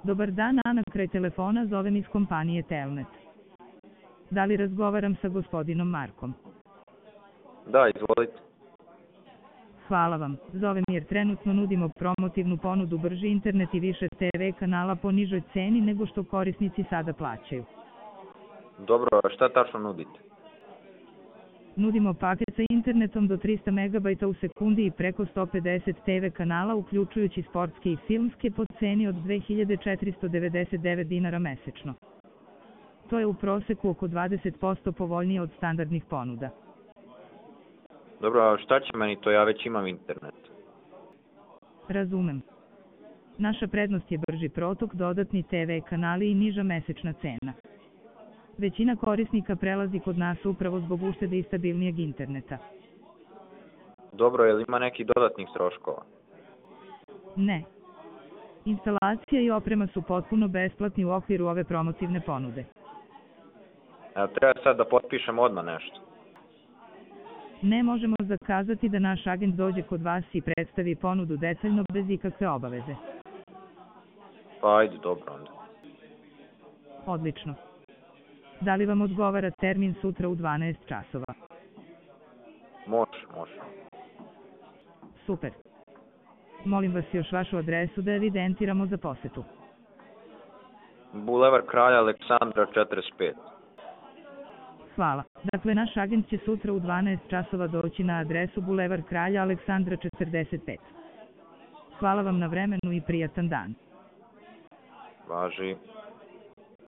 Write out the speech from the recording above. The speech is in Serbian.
Dobar dan, Ana, kraj telefona zovem iz kompanije Telnet. Da li razgovaram sa gospodinom Markom? Da, izvolite. Hvala vam. Zovem jer trenutno nudimo promotivnu ponudu brži internet i više TV kanala po nižoj ceni nego što korisnici sada plaćaju. Dobro, a šta tačno nudite? Nudimo paket sa internetom do 300 MB u sekundi i preko 150 TV kanala uključujući sportske i filmske po ceni od 2499 dinara mesečno. To je u proseku oko 20% povoljnije od standardnih ponuda. Dobro, a šta će meni to, ja već imam internet. Razumem. Naša prednost je brži protok, dodatni TV kanali i niža mesečna cena. Većina korisnika prelazi kod nas upravo zbog uštede i stabilnijeg interneta. Dobro, je li ima nekih dodatnih troškova? Ne. Instalacija i oprema su potpuno besplatni u okviru ove promotivne ponude. Evo, treba sad da potpišem odmah nešto. Ne možemo zakazati da naš agent dođe kod vas i predstavi ponudu detaljno bez ikakve obaveze. Pa ajde, dobro onda. Odlično. Da li vam odgovara termin sutra u 12 časova? Može. Super. Molim vas još vašu adresu da evidentiramo za posetu. Bulevar Kralja Aleksandra 45. Hvala. Dakle, naš agent će sutra u 12 časova doći na adresu Bulevar Kralja Aleksandra 45. Hvala vam na vremenu i prijatan dan. Važi.